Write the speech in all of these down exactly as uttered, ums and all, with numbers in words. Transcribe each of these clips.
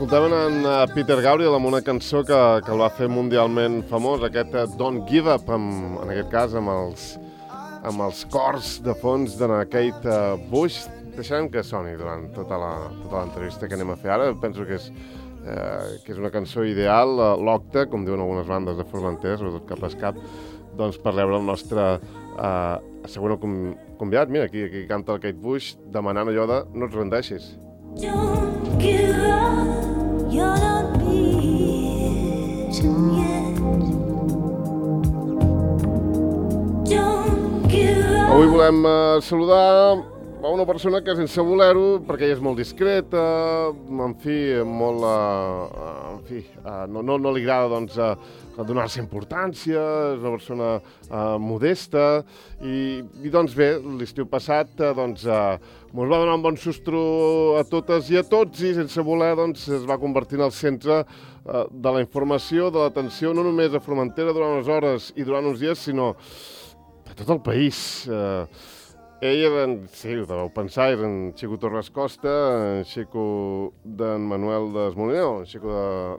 Escoltaven en Peter Gabriel amb una cançó que, que el va fer mundialment famós, aquest Don't Give Up, amb, en aquest cas amb els, amb els cors de fons de Kate Bush. Deixarem que soni durant tota la, tota l'entrevista que anem a fer ara. Penso que és, eh, que és una cançó ideal, l'Octa, com diuen algunes bandes de Formentera, sobretot cap a cap, doncs per rebre el nostre eh, següent convidat. Mira, aquí, aquí canta el Kate Bush demanant allò de no et rendeixis. Don't give up, you're not beaten yet. Don't give up. Avui volem uh, saludar a una persona que sense voler-ho, perquè ella és molt discreta, en fi, molt, uh, en fi, uh, no, no, no li agrada, doncs, uh, donar-se importància, és una persona uh, modesta, i, i doncs bé, l'estiu passat, uh, doncs, uh, ens va donar un bon sostro a totes i a tots, i sense voler, doncs, es va convertir en el centre uh, de la informació, de l'atenció, no només a Formentera durant unes hores i durant uns dies, sinó a tot el país. Uh, Ell era, sí, ho deveu pensar, era en Xico Torres Costa, en Xico d'en Manuel d'Esmoliner, en Xico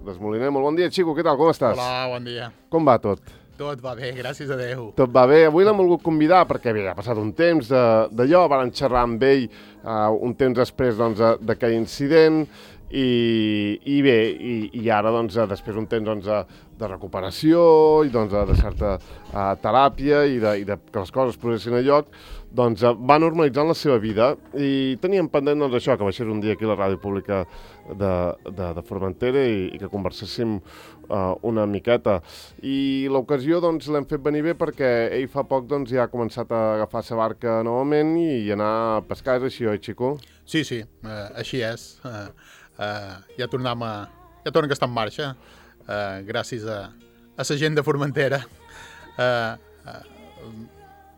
d'Esmoliner. Molt bon dia, Xico, què tal, com estàs? Hola, bon dia. Com va tot? Tot va bé, gràcies a Déu. Tot va bé. Avui l'hem volgut convidar perquè bé, ha passat un temps d'allò, varen xerrar amb ell uh, un temps després doncs, d'aquell incident, i, i bé, i, i ara doncs, després d'un temps doncs, de recuperació i doncs, de certa uh, teràpia i, de, i de, que les coses progressin a lloc, doncs va normalitzant la seva vida i teníem pendent doncs, això, que baixés un dia aquí a la ràdio pública de, de, de Formentera i, i que converséssim uh, una miqueta. I l'ocasió doncs, l'hem fet venir bé perquè ell fa poc doncs, ja ha començat a agafar sa barca novament i, i anar a pescar, és així, oi, Xico? Sí, sí, uh, així és. Uh, uh, ja tornem a... Ja tornem que està en marxa, uh, gràcies a, a la gent de Formentera. Uh, uh,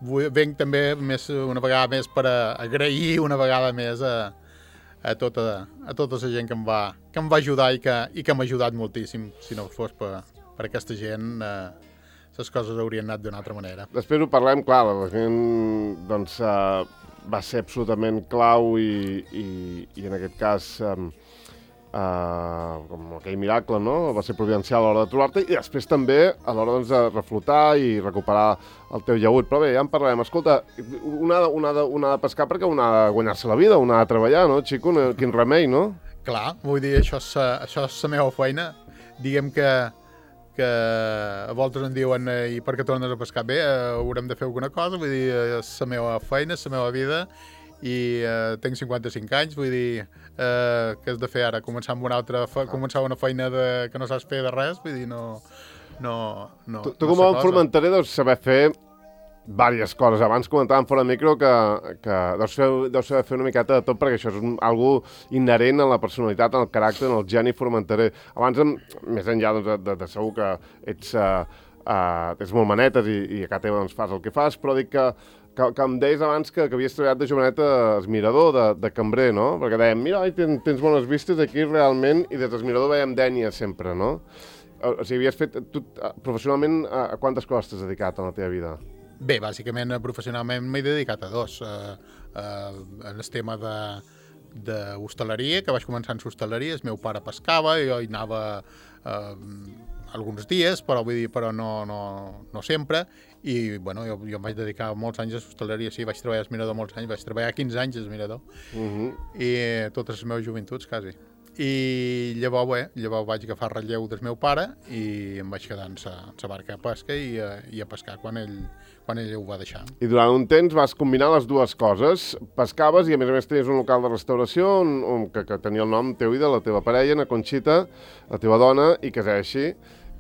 Venc també més, una vegada més per a agrair una vegada més a, a, tota, a tota la gent que em va, que em va ajudar i que, i que m'ha ajudat moltíssim. Si no fos per, per aquesta gent, eh, les coses haurien anat d'una altra manera. Després ho parlem, clar, la gent doncs, eh, va ser absolutament clau i, i, i en aquest cas... Eh, Uh, com aquell miracle, no? Va ser providencial a l'hora de trobar-te i després també a l'hora doncs, de reflotar i recuperar el teu llaüt. Però bé, ja en parlarem. Escolta, un ha de, un ha de, un ha de pescar perquè un ha de guanyar-se la vida, un ha de treballar, no, Xico? Quin remei, no? Clar, vull dir, això és, això és la meva feina. Diguem que, que a voltes em diuen eh, i per què tornes a pescar? Bé, eh, haurem de fer alguna cosa, vull dir, és la meva feina, és la meva vida, i eh, tinc cinquanta-cinc anys, vull dir, eh, què has de fer ara? Començar amb una altra fe començar una feina de, que no saps fer de res, vull dir, no... no, no tu, tu no com a formenterer deus saber fer diverses coses. Abans comentàvem fora de micro que, que deus, fer, deus saber fer una miqueta de tot, perquè això és un, algo inherent en la personalitat, en el caràcter, en el geni formenterer. Abans, més enllà doncs, de, de, de segur que ets, uh, uh, ets molt manetes i, i a casa teva doncs, fas el que fas, però dic que Que, que em deies abans que, que havies treballat de jovenet als mirador, de, de cambrer, no? Perquè dèiem, mira, oi, tens, tens bones vistes aquí realment, i des del mirador veiem dènia sempre, no? O sigui, havies fet, tu, professionalment, a, a quantes coses t'has dedicat en la teva vida? Bé, bàsicament, professionalment m'he dedicat a dos. Uh, uh, en el tema de d'hostaleria, que vaig començar en hostaleria, el meu pare pescava, i jo hi anava uh, alguns dies, però vull dir, però no, no, no sempre, i bueno, jo, jo em vaig dedicar molts anys a l'hostaleria, sí, vaig treballar al mirador molts anys, vaig treballar quinze anys al mirador, uh-huh. i totes les meves joventuts, quasi. I llavors, bé, llavors vaig agafar relleu del meu pare i em vaig quedar en la barca a pesca i a, i a pescar quan ell, quan ell ho va deixar. I durant un temps vas combinar les dues coses, pescaves i a més a més tenies un local de restauració on, on, que, que tenia el nom teu i de la teva parella, na Conxita, la teva dona, i que és així.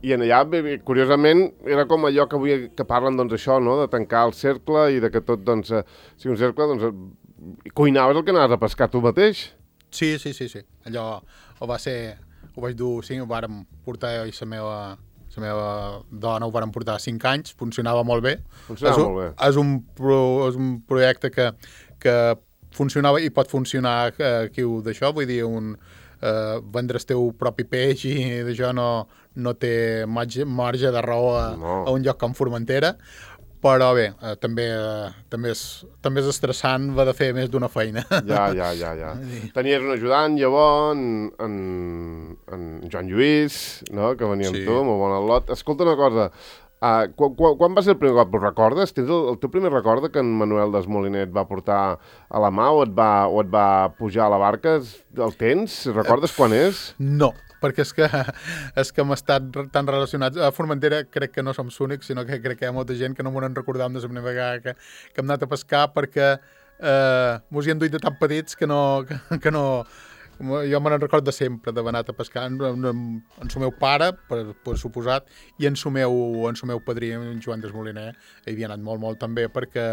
I en allà, curiosament, era com allò que avui que parlen, doncs, això, no?, de tancar el cercle i de que tot, doncs, sigui un cercle, doncs, cuinaves el que anaves a pescar tu mateix? Sí, sí, sí, sí. Allò ho va ser... Ho vaig dur... Sí, ho vàrem portar jo i la meva, la meva dona, ho vàrem portar cinc anys, funcionava molt bé. Funcionava és molt bé. És un, pro, és un projecte que, que funcionava i pot funcionar aquí d'això, vull dir, un... Uh, vendre el teu propi peix i d'això no, no té marge, marge de raó a, no. a un lloc com Formentera, Però bé, eh, també, eh, també, és, també és estressant haver de fer més d'una feina. Ja, ja, ja, ja. Tenies un ajudant, llavors, en, en, en Joan Lluís, no?, que venia amb Sí. tu, molt bon al·lot. Escolta una cosa, uh, quan, quan, quan va ser el primer cop? Ho recordes? Tens el, el teu primer record que en Manuel Desmoliner et va portar a la mà o et va, o et va pujar a la barca? El tens? Recordes quan és? No, perquè és que, és que hem estat tan relacionats. A Formentera crec que no som els únics, sinó que crec que hi ha molta gent que no m'ho en recordam de la primera vegada que, que hem anat a pescar, perquè eh, mos hi han duit de tan petits que no... Que, que no jo me n'en record de sempre, d'haver anat a pescar en, en, en el meu pare, per, per suposat, i en el meu, en el meu padrí, en Joan Desmoliner, hi havia anat molt, molt també, perquè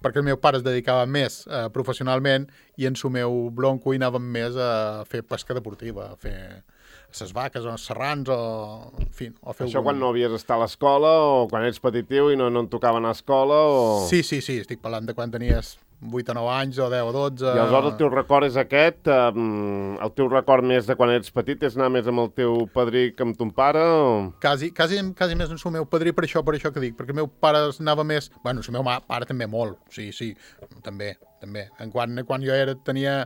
perquè el meu pare es dedicava més eh, professionalment i en el meu bronco hi anàvem més a fer pesca deportiva, a fer les vaques o els serrans o... En fi, o fer Això algun... quan no havies d'estar a l'escola o quan ets petitiu i no, no et tocava anar a escola o... Sí, sí, sí, estic parlant de quan tenies vuit o nou anys o deu o dotze... I aleshores el teu record és aquest? Eh, el teu record més de quan ets petit és anar més amb el teu padrí que amb ton pare? O... Quasi, quasi, quasi més en el meu padrí, per això, per això que dic, perquè el meu pare anava més... Bueno, el meu pare també molt, sí, sí, també, també. En quan, quan jo era, tenia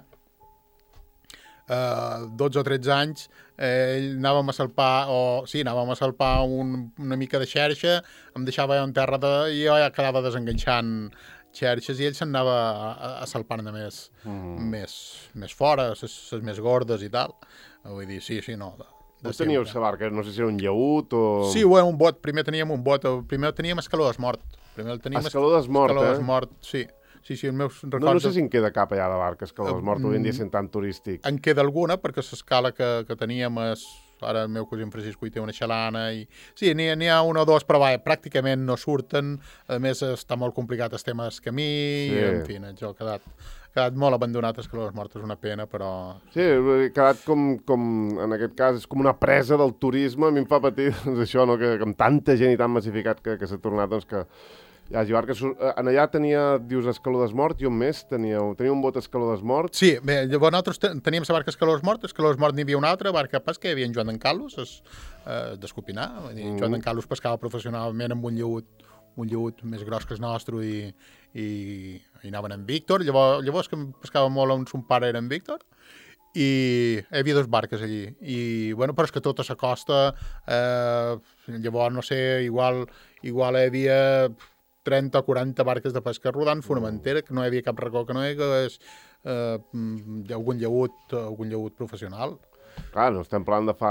eh, dotze o tretze anys, eh, ell anàvem a salpar, o sí, anàvem a salpar un, una mica de xerxa, em deixava en terra de, i jo ja quedava desenganxant xerxes i ell se'n anava a, a, a salpar-ne més, mm. més, més fora, les més gordes i tal. Vull dir, sí, sí, no. De, de Vos teníeu la barca, no sé si era un llaüt o... Sí, bueno, un bot, primer teníem un bot, primer teníem escaló d'esmort. Primer el teníem Escaló d'esmort, escaló eh? d'esmort, sí. Sí, sí, els meus records... No, no sé si en queda cap allà de barca, Escaló d'esmort, avui en dia sent tan turístic. En queda alguna, perquè l'escala que, que teníem és... Ara el meu cosí en Francisco hi té una xalana i... Sí, n'hi ha un o dos, però va, pràcticament no surten. A més, està molt complicat el tema del camí, sí. I, en fi, això ha quedat, ha quedat molt abandonat, Escaló d'esmort, és una pena, però... Sí, ha quedat com, com, en aquest cas, és com una presa del turisme, a mi em fa patir, doncs això, no?, que, que amb tanta gent i tan massificat que, que s'ha tornat, doncs que... hi hagi barques. En allà tenia, dius, Escaló d'esmort, i on més teníeu? Teniu un bot Escaló d'esmort? Sí, bé, llavors nosaltres teníem la barca Escaló d'esmort, Escaló d'esmort n'hi havia una altra, barca de pesca, hi havia en Joan d'en Carlos, es, eh, d'Escopinar, mm. Joan d'en Carlos pescava professionalment amb un lleut, un lleut més gros que el nostre i, i, i anaven en Víctor, llavors, llavors que pescava molt on son pare era en Víctor, i hi havia dues barques allí, i bueno, però és que tota la costa, eh, llavors, no sé, igual, igual hi havia trenta o quaranta barques de pesca rodant Formentera, que no hi havia cap racó que no hi hagués eh, algun lleut, algun lleut professional. Clar, no estem parlant de fa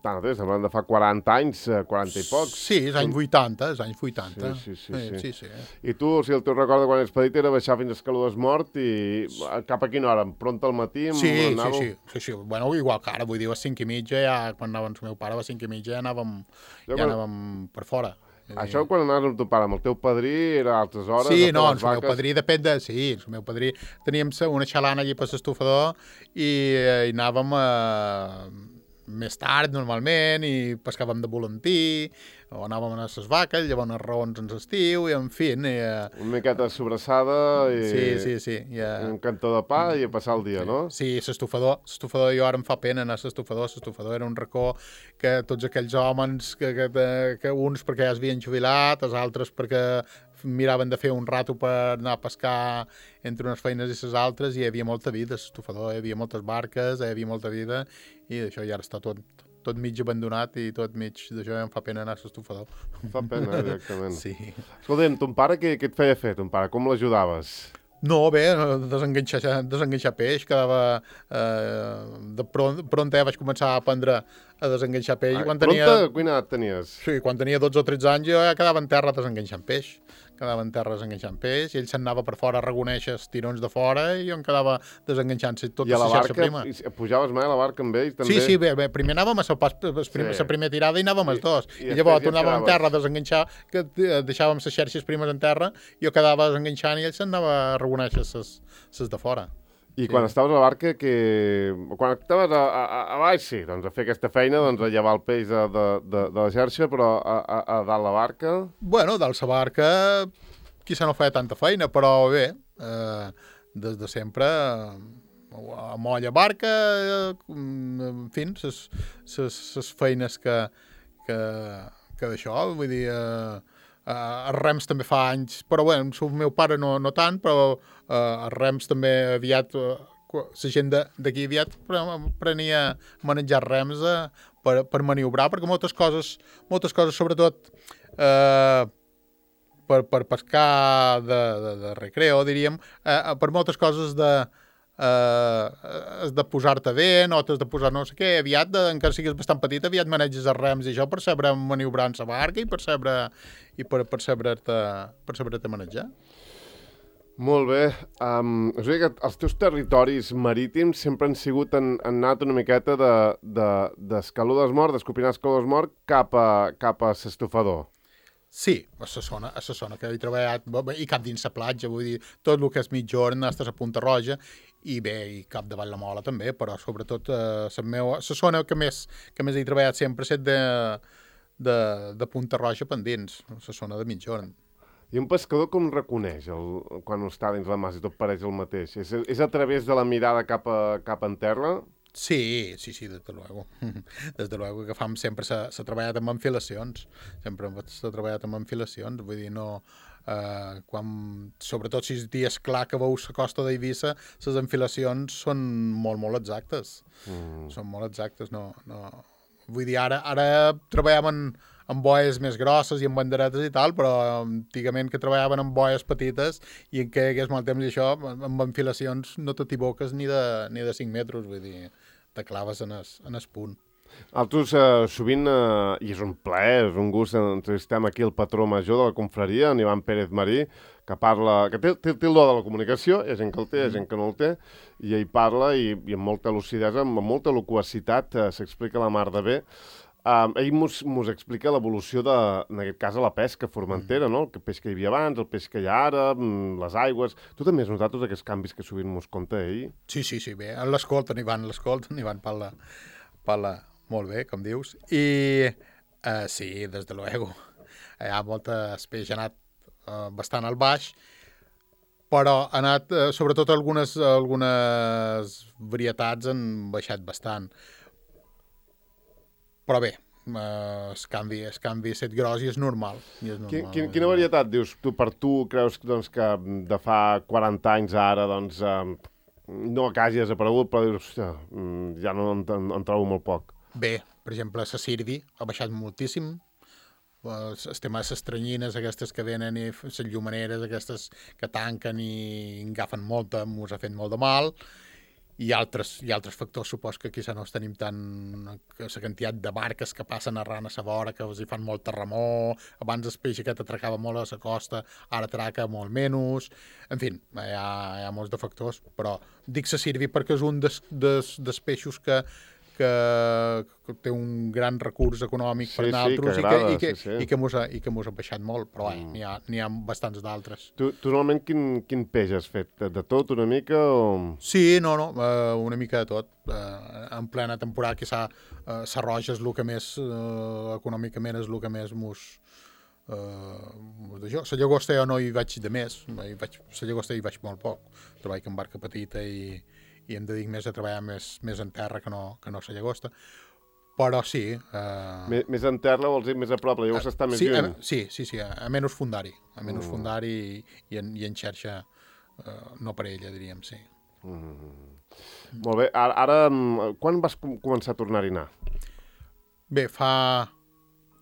tant temps, estem parlant de fa quaranta anys, quaranta i pocs. Sí, és anys vuitanta, és anys vuitanta. Sí, sí, sí. sí, sí. sí, sí. I tu, o sigui, el teu record de quan ets petit era baixar fins a Escaló d'esmort i cap a quina hora? Pronta al matí? Sí, sí, anàveu... sí, sí, sí. Bueno, igual que ara, vull dir, a les cinc i mitja, ja, quan anava amb el meu pare, a les cinc i mitja ja anàvem, Jo, ja quan... anàvem per fora. Això quan anaves amb teu pare, amb el teu padrí, era a altres hores? Sí, no, el el meu padrí depèn de... Sí, el meu padrí... Teníem una xalana allí per l'estufador i, eh, i anàvem eh, més tard, normalment, i pescàvem de volantí, o anàvem a les vaques, llavors a raons en l'estiu, i en fi... I, eh... Una miqueta de sobrassada i... Sí, sí, sí. I, eh... un cantó de pa i a passar el dia, sí. no? Sí, l'estufador, l'estufador, jo ara em fa pena anar a l'estufador, l'estufador era un racó que tots aquells homes, que, que, que uns perquè ja es havien jubilat, els altres perquè miraven de fer un rato per anar a pescar entre unes feines i les altres, i hi havia molta vida, l'estufador, hi havia moltes barques, hi havia molta vida, i això ja està tot, tot mig abandonat i tot mig d'això ja em fa pena anar a l'estufador. Fa pena, directament. Sí. Escolta'm, ton pare què, què et feia fer, ton pare? Com l'ajudaves? No, bé, desenganxar, desenganxar peix, quedava... Eh, de pront, pront ja vaig començar a aprendre a desenganxar peix. Ah, quan tenia... Pronta, quina edat tenies? Sí, quan tenia dotze o tretze anys jo ja quedava en terra desenganxant peix. Quedava en terra desenganxant peix, i ell se'n anava per fora a reconèixer els tirons de fora, i jo em quedava desenganxant-se tota I a la la xarxa barca, prima. i pujaves mai a la barca amb ell, també? Sí, sí, bé, bé, primer anàvem a salpar la primer, Sí. primera tirada i anàvem I- els dos. i I, llavors després ja tornàvem en quedaves. terra a desenganxar, que eh, deixàvem les xarxes primes en terra, jo quedava desenganxant i ell se'n anava a reconèixer les de fora. I Sí. quan estaves a la barca, que... quan estaves a, a, a baix, sí, doncs a fer aquesta feina, doncs a llevar el peix de, de, de, de la xarxa, però a, a, a dalt la barca... Bueno, dalt la barca, qui se no feia tanta feina, però bé, eh, des de sempre, eh, a molla barca, eh, en fi, les feines que, que, que d'això, vull dir, eh, Uh, els rems també fa anys, però bé, amb el meu pare no, no tant, però uh, els rems també aviat, uh, la gent d'aquí aviat prenia a manejar rems uh, per, per maniobrar, perquè moltes coses, moltes coses sobretot uh, per, per pescar de, de, de recreo, diríem, uh, per moltes coses de Uh, has de posar-te vent o t'has de posar no sé què, aviat, de, encara siguis bastant petit, aviat maneges els rems i això per saber maniobrar en la barca i per saber i per, per saber-te per saber-te manejar. Molt bé. Um, és a dir que els teus territoris marítims sempre han sigut, han, han anat una miqueta d'Escaludes Mort, d'Escopinar Escaludes Mort, cap a, cap a s'estofador. Sí, a la zona, a la zona que he treballat, i cap dins la platja, vull dir, tot el que és mitjorn, estàs a Punta Roja, i bé, i cap davant la Mola també, però sobretot eh, la meva, la zona que més, que més he treballat sempre ha estat de, de, de Punta Roja pendents, la zona de mitjorn. I un pescador com reconeix el, quan està dins la mas i tot pareix el mateix? És, és a través de la mirada cap, a, cap en terra? Sí, sí, sí, desde luego. Desde luego que fam sempre s'ha treballat amb enfilacions. Sempre s'ha treballat amb enfilacions. Vull dir, no... Eh, quan, sobretot si és dies clar que veus la costa d'Eivissa, les enfilacions són molt, molt exactes. Mm. Són molt exactes, no... no... Vull dir, ara, ara treballàvem amb boies més grosses i amb banderetes i tal, però antigament que treballaven amb boies petites i en què hagués mal temps i això, amb enfilacions no t'equivoques ni, de, ni de cinc metres, vull dir, te claves en es, en es punt. Altres, eh, sovint, eh, i és un plaer, és un gust, entrevistem aquí el patró major de la confraria, en Ivan Pérez Marí, que parla, que té, té, té el do de la comunicació, hi ha gent que el té, hi ha gent que no el té, i ell parla i, i amb molta lucidesa, amb molta loquacitat, eh, s'explica la mar de bé. Um, ell mos, mos explica l'evolució de, en aquest cas, a la pesca formentera, no? El peix que hi havia abans, el peix que hi ha ara, les aigües... Tu també has notat tots aquests canvis que sovint mos conta ell? Sí, sí, sí, bé. L'escolten, Ivan, l'escolten, Ivan parla, parla molt bé, com dius. I uh, sí, des de luego. Hi ha moltes peix, ha anat uh, bastant al baix, però ha anat, uh, sobretot algunes, algunes varietats han baixat bastant. Però bé, eh, el canvi, el canvi set gros i és normal. I és normal. Quin, quina varietat, dius, tu per tu creus doncs, que de fa quaranta anys a ara, doncs, eh, no que hagi desaparegut, però dius, hòstia, ja no en, en, en trobo molt poc. Bé, per exemple, la sirvi ha baixat moltíssim. El tema de les tranyines, aquestes que venen, i les llumaneres, aquestes que tanquen i agafen molta, mos ha fet molt de mal. I altres, i altres factors, supos que aquí no tenim tant la quantitat de barques que passen arran a la vora, que els hi fan molt terremor, abans el peix aquest atracava molt a la costa, ara atraca molt menys, en fi, hi ha, hi ha molts de factors, però dic se sirvi perquè és un dels, des, des peixos que, que, que té un gran recurs econòmic sí, per nosaltres, sí, que agrada, i que, sí, sí. i que mos ha, i que mos ha baixat molt, però mm. n'hi ha, n'hi ha bastants d'altres. Tu, tu normalment quin, quin peix has fet? De tot una mica o...? Sí, no, no, uh, una mica de tot. Uh, en plena temporada que s'ha uh, sa roja és el que més, uh, econòmicament és el que més mos... Uh, jo, la llagosta jo no hi vaig de més, hi vaig, la llagosta hi vaig molt poc. Treballo amb barca petita i, i em dedic més a treballar més, més en terra que no, que no la llagosta. Però sí... Uh... Més, més en terra vols dir més a prop, la llagosta uh, està més sí, lluny? A, sí, sí, sí, a, a menys fundari, a menys mm. fundari i, i, en, i en xarxa uh, no per ella, diríem, sí. Mm. Molt bé, ara, ara quan vas com començar a tornar-hi a anar? Bé, fa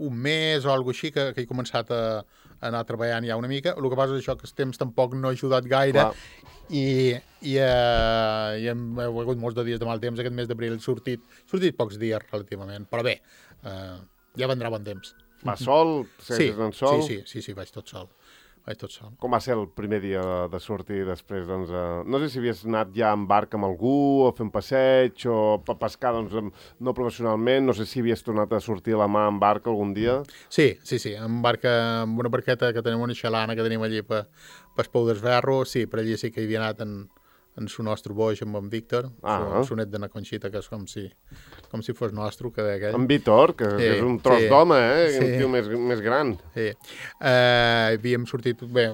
un mes o alguna així que, que he començat a, a anar treballant ja una mica. El que passa és això, que el temps tampoc no ha ajudat gaire. Clar. i, i, uh, i hem, he hagut molts de dies de mal temps. Aquest mes d'abril he sortit, sortit pocs dies relativament, però bé, uh, ja vendrà bon temps. Va sol? Sí, en sol? sí, sí, sí, sí, vaig tot sol. Vaig tot sol. Com va ser el primer dia de, de sortir després? Doncs, uh, no sé si havies anat ja en barca amb algú, o fer un passeig, o a pescar, doncs, no professionalment, no sé si havies tornat a sortir a la mà en barca algun dia. Sí, sí, sí, en barca, amb una barqueta que tenim, una xalana que tenim allí per, per Pou d'Esberro, sí, per allí sí que hi havia anat en, en su nostre boix amb en Víctor, ah. su net de na Conxita, que és com si, com si fos nostre, que d'aquell. En Víctor, que, sí, que és un tros sí, d'home, eh? Sí. Un tio més, més gran. Sí. Uh, havíem sortit, bé,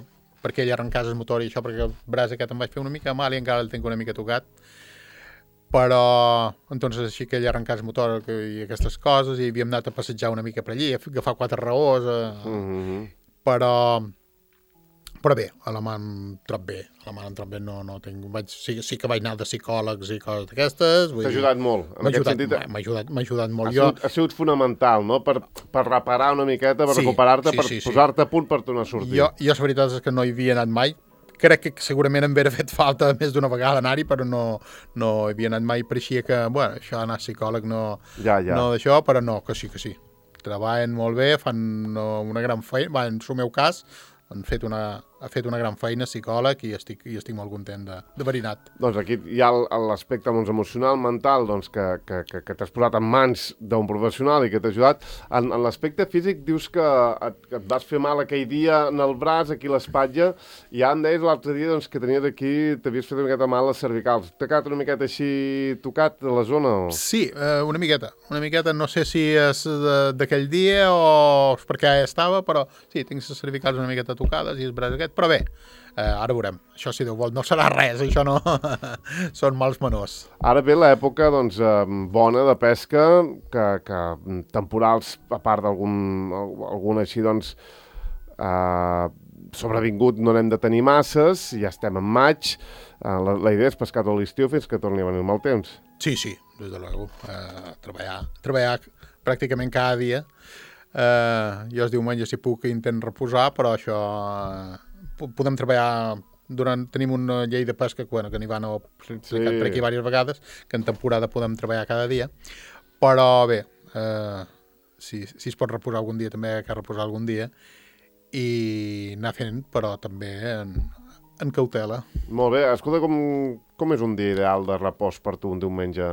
perquè ell arrencàs el motor i això, perquè el braç aquest em vaig fer una mica mal i encara el tinc una mica tocat. Però, entonces, així que ell arrencàs el motor i aquestes coses, i havíem anat a passejar una mica per allí, a agafar quatre raons, a... mm-hmm. però però bé, a la mà em trob bé, a la mà em trob bé, no, no tinc, vaig, sí, sí que vaig anar de psicòlegs i coses d'aquestes. T'ha ajudat molt, en M'ha aquest ajudat, sentit. m'ha ajudat, m'ha ajudat molt. Ha Jo, sigut, ha sigut fonamental, no?, per, per reparar una miqueta, per Sí, recuperar-te, sí, per sí, sí. posar-te a punt per tornar a sortir. jo, jo la veritat és que no hi havia anat mai. Crec que segurament em hauria fet falta més d'una vegada anar-hi, però no, no hi havia anat mai. Pareixia que, bueno, això anar a psicòleg no, Ja, ja. no d'això, però no, que sí, que sí. Treballen molt bé, fan no, una gran feina, va, en el meu cas, han fet una, ha fet una gran feina psicòleg i estic, i estic molt content de, de haver-hi anat. Doncs aquí hi ha el- l'aspecte doncs, emocional, mental, doncs, que, que, que, que t'has posat en mans d'un professional i que t'ha ajudat. En, en l'aspecte físic dius que et, que et vas fer mal aquell dia en el braç, aquí a l'espatlla, i ja em deies l'altre dia doncs, que tenies aquí, t'havies fet una miqueta mal les cervicals. T'ha quedat una miqueta així tocat a la zona? O... Sí, eh, una miqueta. Una miqueta, no sé si és de- d'aquell dia o és perquè ja estava, però sí, tinc les cervicals una miqueta tocades i el braç aquest, però bé, eh, ara veurem. Això, si Déu vol, no serà res, això no. Són mals menors. Ara ve l'època doncs, eh, bona de pesca, que, que temporals, a part d'algun algun així, doncs, eh, sobrevingut no n'hem de tenir masses, ja estem en maig, eh, la, la idea és pescar tot l'estiu fins que torni a venir el mal temps. Sí, sí, des de luego. Eh, treballar, treballar pràcticament cada dia. Eh, jo els diumenges, si puc, intent reposar, però això... Eh, po- podem treballar... Durant, tenim una llei de pesca que, bueno, que n'hi van a explicat Sí. per aquí diverses vegades, que en temporada podem treballar cada dia, però bé, eh, si, si es pot reposar algun dia, també cal reposar algun dia, i anar fent, però també en, en cautela. Molt bé, escolta, com, com és un dia ideal de repòs per tu un diumenge,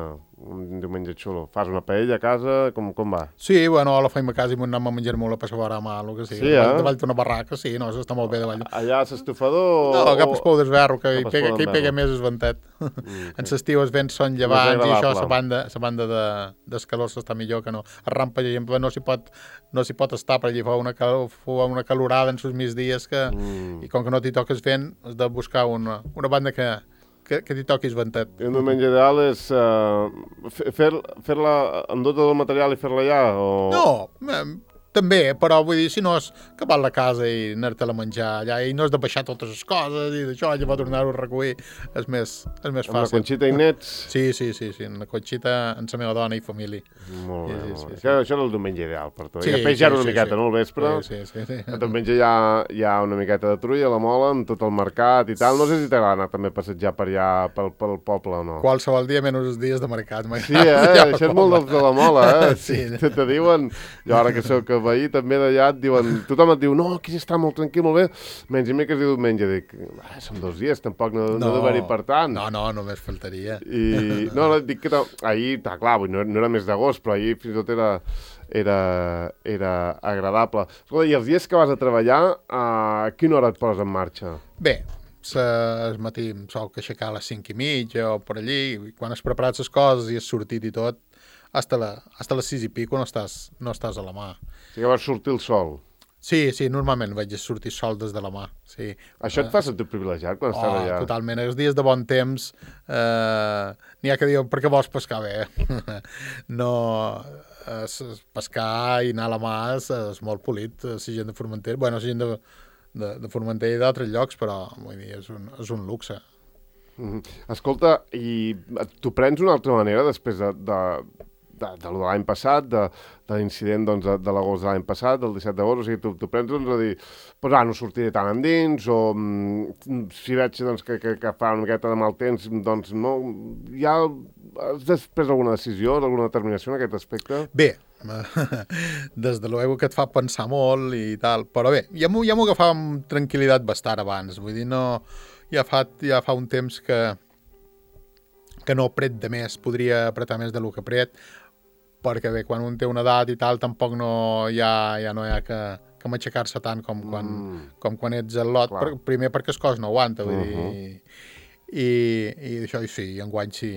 un diumenge xulo? Fas una paella a casa? Com, com va? Sí, bueno, la feim a casa i anem a menjar molt a passar mà, el que sigui. Sí, eh? Davall d'una barraca, sí, no, això està molt bé davall. Allà a l'estufador? No, cap es pou d'esberro, que, hi Cap es pega, pou que hi pega d'esberro. més el ventet. Mm, En l'estiu els vents són llevants i això, agradable. la banda, la banda de, d'escalor s'està millor que no. A Rampa, per exemple, no s'hi pot, no s'hi pot estar, per allà fa una, cal, fa una calorada en els migdies que, Mm. i com que no t'hi toques vent, has de buscar una, una banda que, que, que t'hi toquis ventet. I un diumenge ideal és uh, fer, fer-la, endur tot el material i fer-la allà? O... No, eh, també, però vull dir, si no és que vas a la casa i anar-te-la a menjar allà i no has de baixar totes les coses i d'això, llavors tornar-ho a recollir, és més, és més Amb la fàcil. Conxita i nets? Sí, sí, sí, sí, en la Conxita, amb la meva dona i família. Molt bé, Sí, sí, molt sí, bé. sí. Això, això era el diumenge ideal per tu. Sí, I després ja era sí, una sí, miqueta, sí. no, al vespre? Sí, sí, sí. sí. El diumenge hi ha, hi ha una miqueta de trulla a la Mola, amb tot el mercat i tal. No sé si t'agrada anar també a passejar per allà, pel, pel poble o no. Qualsevol dia menys els dies de mercat. Sí, eh? Això és molt dels de la Mola, eh? Sí. Te, te diuen, jo ara que sóc veí també d'allà, et diuen, tothom et diu, no, aquí està molt tranquil, molt bé, menys i mi que es diu diumenge, dic, ah, són dos dies, tampoc no, no, no d'haver-hi per tant. No, no, només faltaria. I, no, no, dic que ta- ahir, ta, clar, vull, no, no era mes d'agost, però ahir fins i tot era, era, era agradable. Escolta, i els dies que vas a treballar, a quina hora et poses en marxa? Bé, se, el matí em sol que aixecar a les cinc i mitja o per allí, i quan has preparat les coses i has sortit i tot, hasta, la, hasta les sis i pico no estàs, no estàs a la mà. O sigui que vas sortir el sol. Sí, sí, normalment vaig sortir sol des de la mà, sí. Això et fa sentir privilegiat quan estàs Oh, allà? totalment. Els dies de bon temps eh, n'hi ha que diuen, per què vols pescar bé? no, es, es pescar i anar a la mà és, és molt polit, la gent de Formentera, bueno, la gent de, de, de Formentera i d'altres llocs, però vull dir, és un, és un luxe. Mhm. Escolta, i tu prens una altra manera després de, de, de, de lo de l'any passat, de, de l'incident doncs, de, de l'agost de l'any passat, del disset d'agost, o sigui, tu, tu prens doncs, a dir, pues, ah, no sortiré tant endins, o mm, si veig doncs, que, que, que fa una miqueta de mal temps, doncs no, ja has després alguna decisió, alguna determinació en aquest aspecte? Bé, des de luego que et fa pensar molt i tal, però bé, ja m'ho ja m'ho agafava amb tranquil·litat bastant abans, vull dir, no, ja fa, ja fa un temps que que no pret de més, podria apretar més de lo que pret, perquè bé, quan un té una edat i tal, tampoc no hi ha, ja no hi ha que, que matxacar-se tant com quan, Mm. com quan ets al lot, per, primer perquè el cos no aguanta, vull Uh-huh. dir, i, i això, i sí, enguany sí,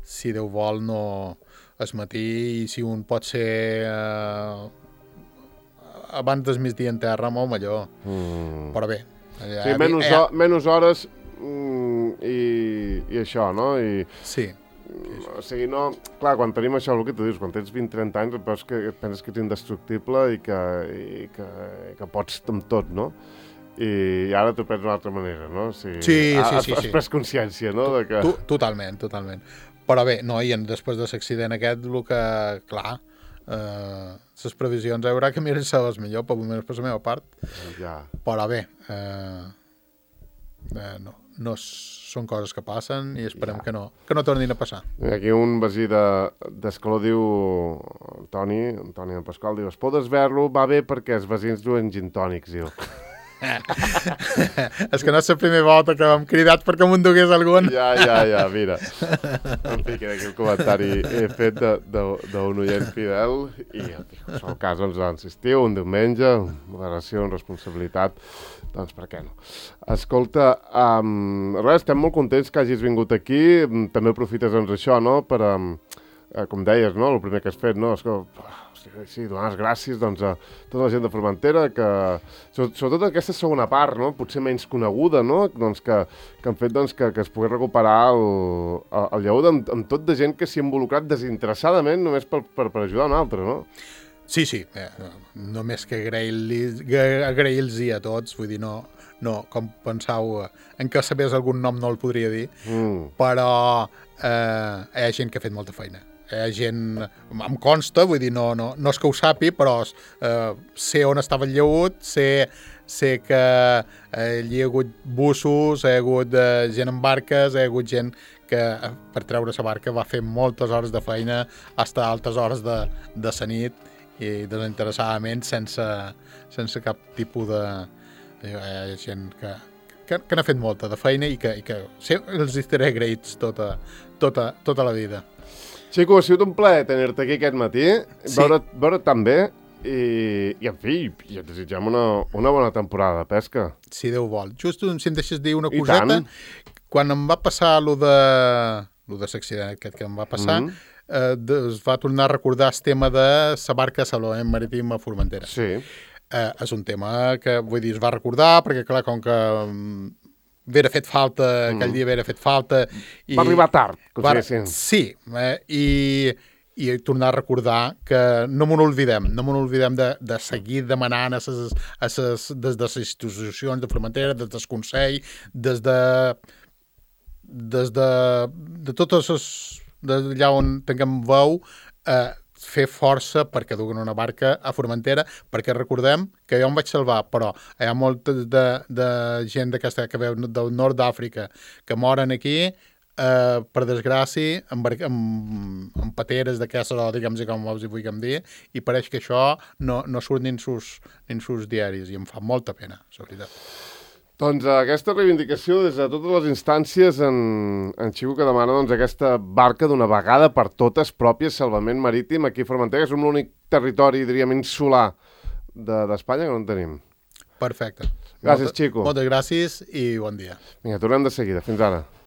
si Déu vol, no es matí, i si un pot ser eh, abans del migdia en terra, molt millor, Mm. però bé. Ja, Sí, menys, ja, ho, menys hores mm, i, i això, no? I, sí. O sigui, no... Clar, quan tenim això, el que tu dius, quan tens vint trenta anys, et veus que et penses que ets indestructible i que, i que, i que pots amb tot, no? I ara t'ho prens d'una altra manera, no? O sigui, Sí, sí, has, sí, has sí. pres consciència, no? De que... Tu, totalment, totalment. Però bé, no, i en, després de l'accident aquest, el que, clar, eh, les previsions haurà que miren les millor, per almenys per la meva part. Ja. Però bé, eh, eh, no, no són coses que passen i esperem Ja. que no, que no tornin a passar. Aquí un veí d'Escaló diu, el Toni, el Toni de Pasqual, diu, es pot desver-lo, va bé perquè els veïns duen gin tònics, diu. És que no és la primera volta que m'hem cridat perquè m'ho endugués algun. Ja, ja, ja, mira. En fi, que aquí el comentari he fet d'un oient fidel i, en fi, en el cas, doncs, insistiu, un diumenge, moderació, amb responsabilitat, doncs per què no? Escolta, um, res, estem molt contents que hagis vingut aquí, també aprofites, doncs, això, no?, per, um, eh, com deies, no?, el primer que has fet, no?, és que... Sí, donar les gràcies doncs, a tota la gent de Formentera, que, sobretot aquesta segona part, no? Potser menys coneguda, no? Doncs que, que han fet doncs, que, que es pogués recuperar el, el lleó amb, amb tot de gent que s'hi ha involucrat desinteressadament només per, per, per ajudar un altre, no? Sí, sí, eh, només que agrair-los agrair a tots, vull dir, no, no com pensau, en què sabés algun nom no el podria dir, Mm. però eh, hi ha gent que ha fet molta feina. Hi ha gent, em consta, vull dir, no, no, no és que ho sàpi, però eh, sé on estava el lleut, sé, sé que eh, hi ha hagut bussos, hi ha hagut eh, gent en barques, hi ha hagut gent que eh, per treure la barca va fer moltes hores de feina, fins a altes hores de, de la nit, i desinteressadament, sense, sense cap tipus de... Hi ha gent que, que, que n'ha fet molta de feina i que, i que sí, els estaré agraïts tota, tota, tota la vida. Xico, ha sigut un plaer tenir-te aquí aquest matí, Sí. veure, veure tan bé i, i, en fi, i et desitgem una, una bona temporada de pesca. Si Déu vol. Just si em deixes dir una I coseta, tant. quan em va passar lo de lo de l'accident aquest que em va passar, Mhm. eh, de, es va tornar a recordar el tema de la barca salvament marítim a Formentera. Sí. Eh, és un tema que, vull dir, es va recordar, perquè, clar, com que um, vera fet falta, mm. aquell dia vera fet falta... I Va arribar tard, que ho va, diguéssim. Sí, eh, i, i tornar a recordar que no m'ho oblidem, no m'ho oblidem de, de seguir demanant a ses, a ses, des de les institucions de Formentera, des del Consell, des de des de, de totes les d'allà on tinguem veu, eh, fer força perquè duguen una barca a Formentera, perquè recordem que jo em vaig salvar, però hi ha molta de, de gent d'aquesta que veu del nord d'Àfrica que moren aquí, eh, per desgràcia, amb, bar- amb, amb pateres d'aquestes, o diguem-ne com els hi vulguem dir, i pareix que això no, no surt ni en sus, ni en sus diaris, i em fa molta pena, la veritat. Doncs aquesta reivindicació des de totes les instàncies en, en Xico que demana doncs, aquesta barca d'una vegada per totes pròpia salvament marítim aquí a Formentera, que som l'únic territori, diríem, insular d'Espanya que no en tenim. Perfecte. Gràcies, Molta, Xico. Moltes gràcies i bon dia. Vinga, tornem de seguida. Fins ara.